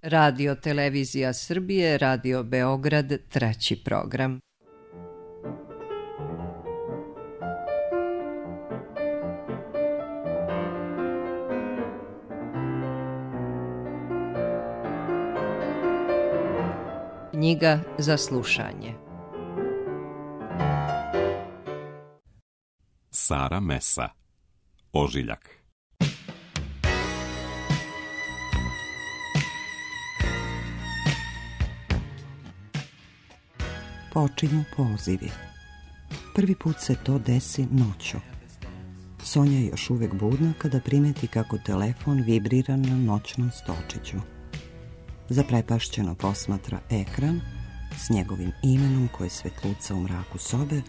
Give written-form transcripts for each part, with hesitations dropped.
Radio Televizija Srbije, Radio Beograd, treći program. Knjiga za slušanje. Sara Mesa, Ožiljak. Počinju pozivi. Prvi put se to desi noću. Sonja je još uvijek budna kada primeti kako telefon vibrira na noćnom stolčiću. Zaprepašćeno posmatra ekran s njegovim imenom koje svetluca u mraku sobe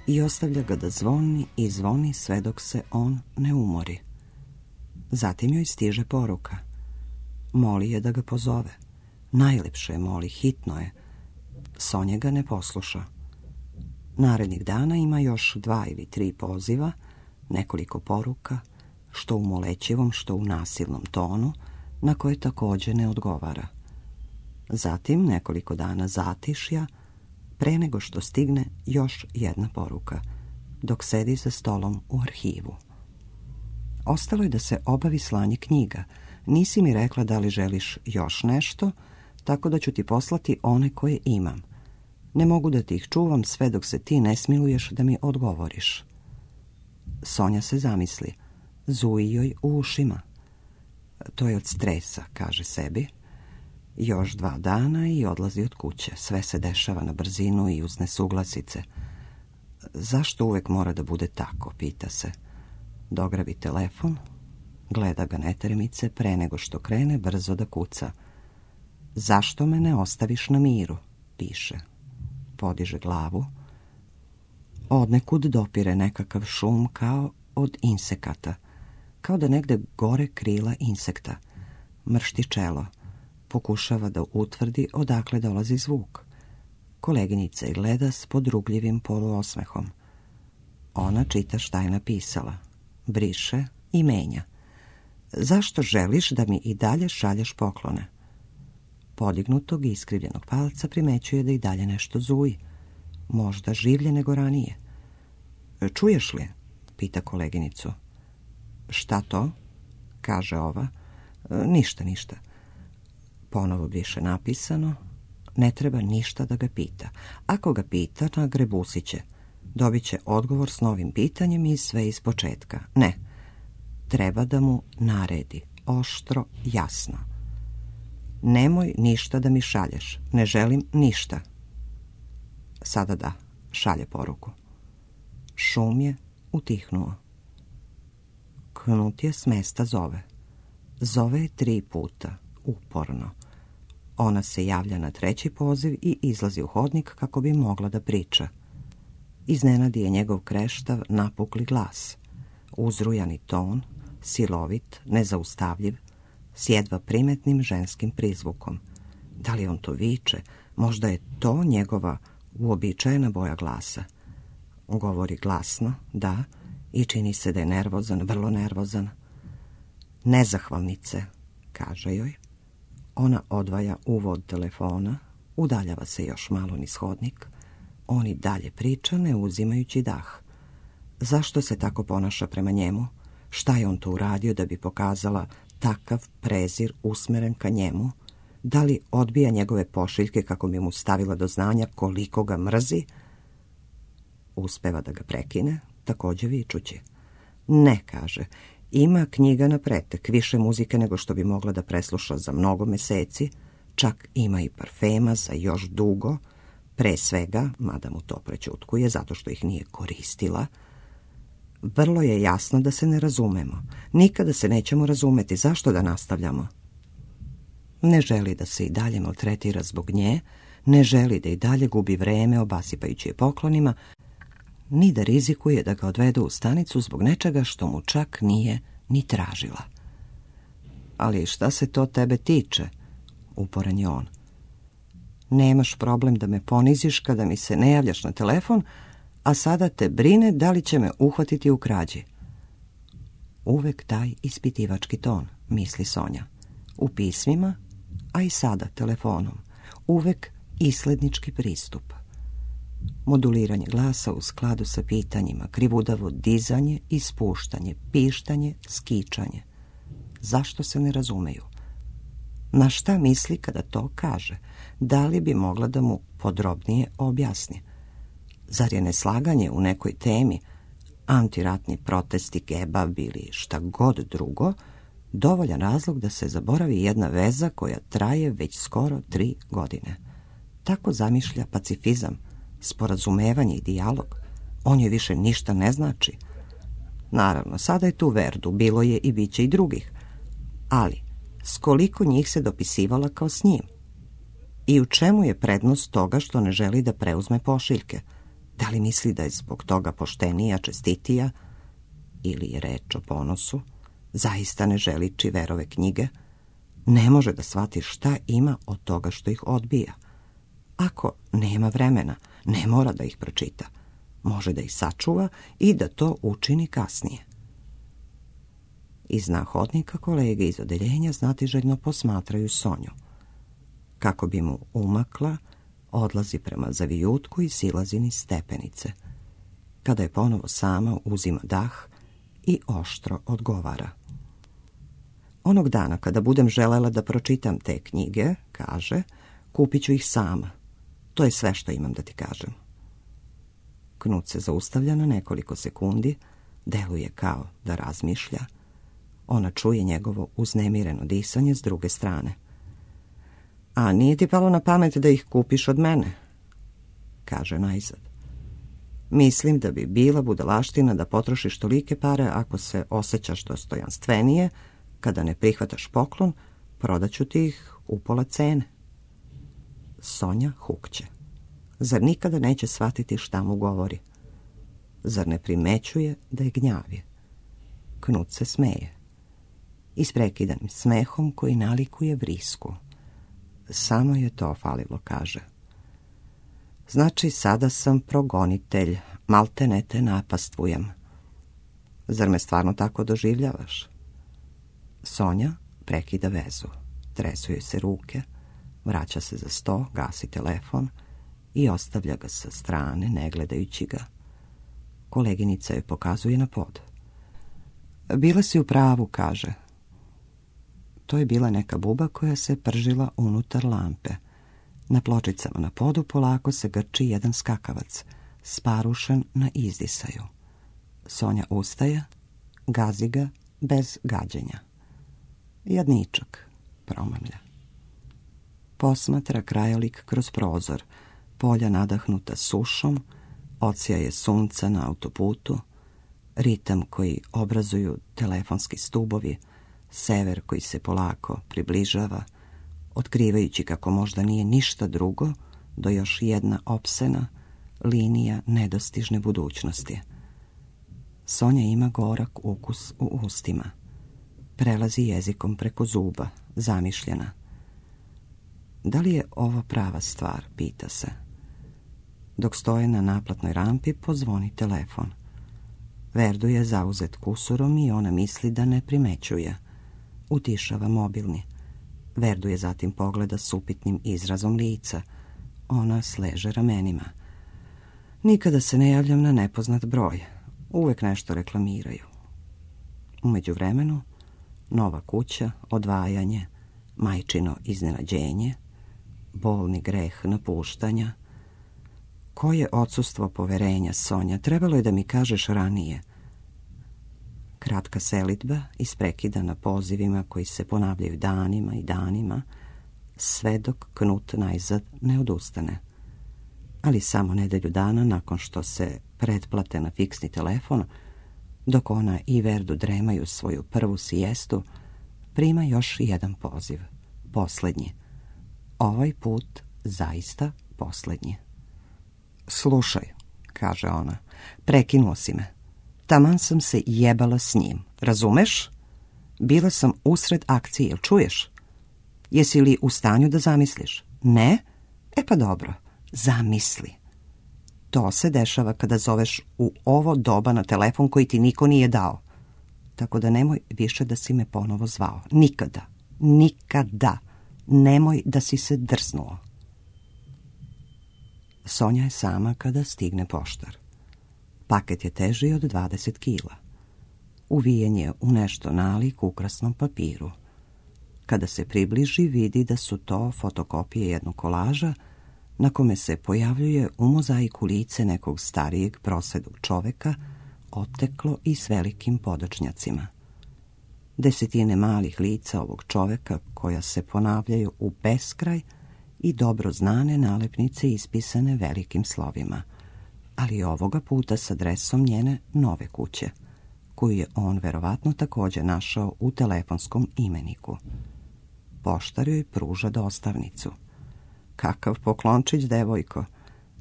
i ostavlja ga da zvoni i zvoni sve dok se on ne umori. Zatim joj stiže poruka. Moli je da ga pozove. Najlepše je moli, hitno je. Sonja ga ne posluša. Narednih dana ima još 2 ili 3 poziva, nekoliko poruka, što u molećivom, što u nasilnom tonu, na koje također ne odgovara. Zatim nekoliko dana zatišja, pre nego što stigne još jedna poruka, dok sedi za stolom u arhivu. Ostalo je da se obavi slanje knjiga. Nisi mi rekla da li želiš još nešto, tako da ću ti poslati one koje imam. Ne mogu da ti ih čuvam sve dok se ti ne smiluješ da mi odgovoriš. Sonja se zamisli. Zuji joj u ušima. To je od stresa, kaže sebi. Još 2 dana i odlazi od kuće. Sve se dešava na brzinu i uz nesuglasice. Zašto uvek mora da bude tako, pita se. Dograbi telefon, gleda ga netermice pre nego što krene brzo da kuca. Zašto me ne ostaviš na miru, piše. Podiže glavu. Odnekud dopire nekakav šum kao od insekata. Kao da negde gore krila insekta. Mršti čelo. Pokušava da utvrdi odakle dolazi zvuk. Koleginica je gleda s podrugljivim poluosmehom. Ona čita šta je napisala. Briše i menja. Zašto želiš da mi i dalje šalješ poklone? Podignutog i iskrivljenog palca primećuje da i dalje nešto zuji. Možda življe nego ranije. Čuješ li? Pita koleginicu. Šta to? Kaže ova. Ništa. Ponovo briše napisano. Ne treba ništa da ga pita. Ako ga pita, nagrebusit će. Dobit će odgovor s novim pitanjem i sve iz početka. Ne. Treba da mu naredi. Oštro, jasno. Nemoj ništa da mi šalješ. Ne želim ništa. Sada da, šalje poruku. Šum je utihnuo. Knut je s mesta zove. Zove je 3 puta, uporno. Ona se javlja na 3. poziv i izlazi u hodnik kako bi mogla da priča. Iznenadi je njegov kreštav, napukli glas. Uzrujani ton, silovit, nezaustavljiv, s jedva primetnim ženskim prizvukom. Da li on to viče? Možda je to njegova uobičajena boja glasa. Govori glasno, da, i čini se da je nervozan, vrlo nervozan. Nezahvalnice, kaže joj. Ona odvaja uvod telefona, udaljava se još malo niz hodnik. On i dalje priča, ne uzimajući dah. Zašto se tako ponaša prema njemu? Šta je on to uradio da bi pokazala takav prezir usmeren ka njemu? Da li odbija njegove pošiljke kako bi mu stavila do znanja koliko ga mrzi? Uspeva da ga prekine, također vičući. Ne, kaže, ima knjiga na pretek, više muzike nego što bi mogla da presluša za mnogo meseci, čak ima i parfema za još dugo, pre svega, mada mu to prećutkuje, zato što ih nije koristila. Vrlo je jasno da se ne razumemo. Nikada se nećemo razumeti. Zašto da nastavljamo? Ne želi da se i dalje maltretira zbog nje, ne želi da i dalje gubi vreme obasipajući je poklonima, ni da rizikuje da ga odvedu u stanicu zbog nečega što mu čak nije ni tražila. Ali šta se to tebe tiče? Uporan je on. Nemaš problem da me poniziš kada mi se ne javljaš na telefon, a sada te brine da li će me uhvatiti u krađi. Uvek taj ispitivački ton, misli Sonja. U pismima, a i sada telefonom, uvek islednički pristup. Moduliranje glasa u skladu sa pitanjima, krivudavo dizanje i spuštanje, pištanje, skičanje. Zašto se ne razumeju? Na šta misli kada to kaže? Da li bi mogla da mu podrobnije objasni? Zar je neslaganje u nekoj temi, antiratni protesti, kebab ili šta god drugo, dovoljan razlog da se zaboravi jedna veza koja traje već skoro 3 godine? Tako zamišlja pacifizam, sporazumevanje i dijalog. On joj više ništa ne znači. Naravno, sada je tu Verdu, bilo je i biće i drugih. Ali, s koliko njih se dopisivala kao s njim? I u čemu je prednost toga što ne želi da preuzme pošiljke? Da li misli da je zbog toga poštenija, čestitija? Ili je reč o ponosu? Zaista ne želi Čiverove knjige? Ne može da shvati šta ima od toga što ih odbija. Ako nema vremena, ne mora da ih pročita. Može da ih sačuva i da to učini kasnije. Iz hodnika kolege iz odeljenja znatiželjno posmatraju Sonju. Kako bi mu umakla, odlazi prema zavijutku i silazi niz stepenice. Kada je ponovo sama, uzima dah i oštro odgovara. Onog dana kada budem želela da pročitam te knjige, kaže, kupit ću ih sama. To je sve što imam da ti kažem. Knut se zaustavlja na nekoliko sekundi, deluje kao da razmišlja. Ona čuje njegovo uznemireno disanje s druge strane. A nije ti palo na pamet da ih kupiš od mene? Kaže najzad. Mislim da bi bila budalaština da potrošiš tolike pare ako se osjećaš dostojanstvenije, kada ne prihvataš poklon, prodaću ti ih upola cene. Sonja hukće. Zar nikada neće shvatiti šta mu govori? Zar ne primećuje da je gnjavi? Knut se smeje. Isprekidanim smehom koji nalikuje vrisku. Samo je to falilo, kaže. Znači, sada sam progonitelj, maltene te napastvujem. Zar me stvarno tako doživljavaš? Sonja prekida vezu. Tresu joj se ruke, vraća se za sto, gasi telefon i ostavlja ga sa strane, ne gledajući ga. Koleginica joj pokazuje na pod. Bila si u pravu, kaže. To je bila neka buba koja se pržila unutar lampe. Na pločicama na podu polako se grči jedan skakavac, sparušen na izdisaju. Sonja ustaje, gazi ga bez gađenja. Jadničak, promamlja. Posmatra krajolik kroz prozor, polja nadahnuta sušom, odsjaje sunca na autoputu, ritam koji obrazuju telefonski stubovi, sever koji se polako približava, otkrivajući kako možda nije ništa drugo do još jedna opsena linija nedostižne budućnosti. Sonja ima gorak ukus u ustima. Prelazi jezikom preko zuba, zamišljena. Da li je ovo prava stvar, pita se. Dok stoje na naplatnoj rampi, pozvoni telefon. Verdu je zauzet kusurom i ona misli da ne primećuje. Utišava mobilni. Verdu je zatim pogleda s upitnim izrazom lica. Ona sleže ramenima. Nikada se ne javljam na nepoznat broj. Uvek nešto reklamiraju. U međuvremenu, nova kuća, odvajanje, majčino iznenađenje, bolni greh napuštanja. Koje odsustvo poverenja, Sonja, trebalo je da mi kažeš ranije. Kratka selidba isprekidana pozivima koji se ponavljaju danima i danima, sve dok Knut najzad ne odustane. Ali samo nedelju dana nakon što se pretplate na fiksni telefon, dok ona i Verdu dremaju svoju prvu sijestu, prima još jedan poziv. Poslednji. Ovaj put zaista poslednji. Slušaj, kaže ona, prekinuo si me. Taman sam se jebala s njim, razumeš? Bila sam usred akcije, jel čuješ? Jesi li u stanju da zamisliš? Ne? E pa dobro, zamisli. To se dešava kada zoveš u ovo doba na telefon koji ti niko nije dao. Tako da nemoj više da si me ponovo zvao. Nikada. Nikada. Nemoj da si se drznuo. Sonja je sama kada stigne poštar. Paket je teži od 20 kila. Uvijen je u nešto nalik ukrasnom papiru. Kada se približi, vidi da su to fotokopije jednog kolaža na kome se pojavljuje u mozaiku lice nekog starijeg prosedog čoveka, oteklo i s velikim podočnjacima. Desetine malih lica ovog čoveka koja se ponavljaju u beskraj i dobro znane nalepnice ispisane velikim slovima, ali ovoga puta s adresom njene nove kuće, koju je on verovatno također našao u telefonskom imeniku. Poštar joj pruža dostavnicu. Kakav poklončić, devojko,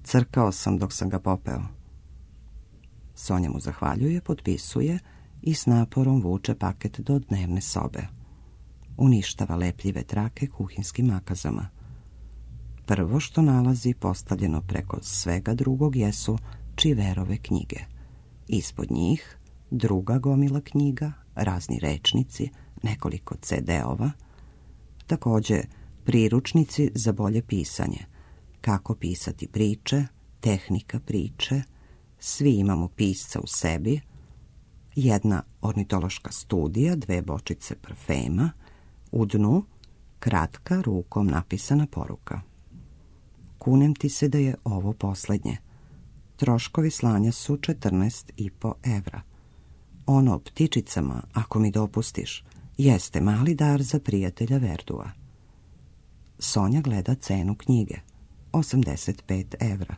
crkao sam dok sam ga popeo. Sonja mu zahvaljuje, potpisuje i s naporom vuče paket do dnevne sobe. Uništava lepljive trake kuhinskim makazama. Prvo što nalazi postavljeno preko svega drugog jesu Čiverove knjige. Ispod njih druga gomila knjiga, razni rečnici, nekoliko CD-ova, također priručnici za bolje pisanje, kako pisati priče, tehnika priče, svi imamo pisca u sebi, jedna ornitološka studija, 2 bočice parfema, u dnu kratka rukom napisana poruka. Kunem ti se da je ovo posljednje. Troškovi slanja su 14,5 evra. Ono o ptičicama, ako mi dopustiš, jeste mali dar za prijatelja Verdua. Sonja gleda cenu knjige. 85 evra.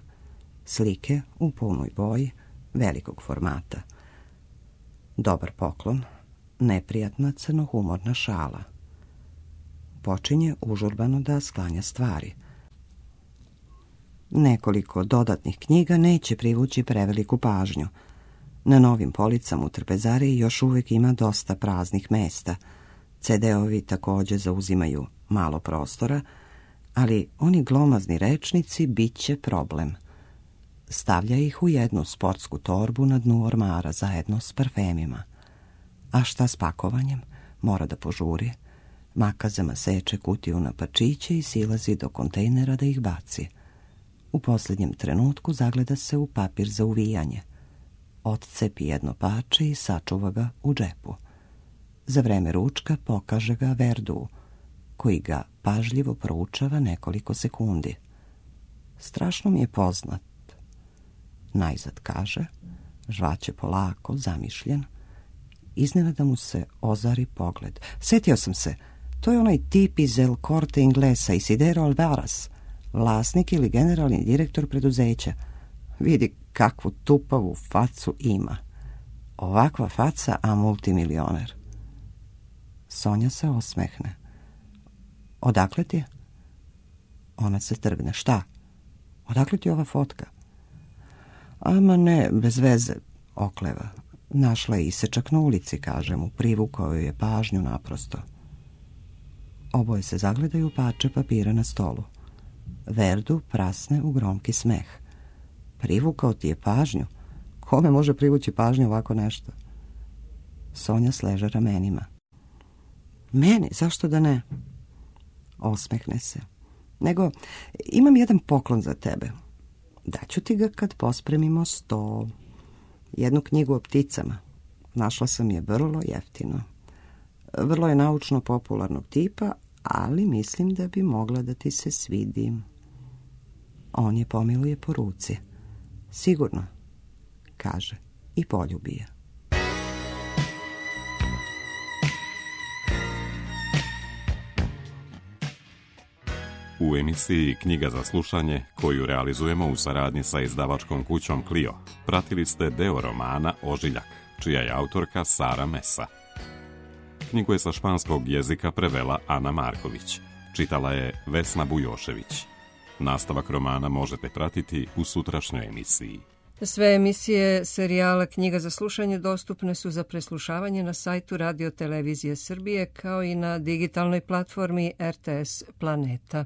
Slike u punoj boji, velikog formata. Dobar poklon, neprijatna crnohumorna šala. Počinje užurbano da sklanja stvari. Nekoliko dodatnih knjiga neće privući preveliku pažnju. Na novim policama u trpezariji još uvijek ima dosta praznih mesta. CD-ovi također zauzimaju malo prostora, ali oni glomazni rečnici bit će problem. Stavlja ih u jednu sportsku torbu na dnu ormara zajedno s parfemima. A šta s pakovanjem? Mora da požuri. Makazama seče kutiju na pačiće i silazi do kontejnera da ih baci. U posljednjem trenutku zagleda se u papir za uvijanje. Odcepi jedno pače i sačuva ga u džepu. Za vreme ručka pokaže ga Verdu, koji ga pažljivo proučava nekoliko sekundi. Strašno mi je poznat. Najzad kaže, žvaće polako, zamišljen. Iznenada mu se ozari pogled. Setio sam se, to je onaj tip iz El Corte Inglesa, Isidero Alvaras, vlasnik ili generalni direktor preduzeća. Vidi kakvu tupavu facu ima. Ovakva faca, a multimilioner. Sonja se osmehne. Odakle ti je? Ona se trgne. Šta? Odakle ti je ova fotka? Ama ne, bez veze, okleva. Našla je isečak na ulici, kaže mu, privukao joj je pažnju naprosto. Oboje se zagledaju parče papira na stolu. Verdu prasne u gromki smeh. Privukao ti je pažnju? Kome može privući pažnju ovako nešto? Sonja sleže ramenima. Meni, zašto da ne? Osmehne se. Nego, imam jedan poklon za tebe. Daću ti ga kad pospremimo sto. Jednu knjigu o pticama. Našla sam je vrlo jeftino. Vrlo je naučno-popularnog tipa, ali mislim da bi mogla da ti se svidi. On je pomiluje po ruci. Sigurno, kaže i poljubi je. U emisiji Knjiga za slušanje, koju realizujemo u saradnji sa izdavačkom kućom Clio, pratili ste deo romana Ožiljak, čija je autorka Sara Mesa. Knjigu je sa španskog jezika prevela Ana Marković. Čitala je Vesna Bujošević. Nastavak romana možete pratiti u sutrašnjoj emisiji. Sve emisije serijala Knjiga za slušanje dostupne su za preslušavanje na sajtu Radio Televizije Srbije kao i na digitalnoj platformi RTS Planeta.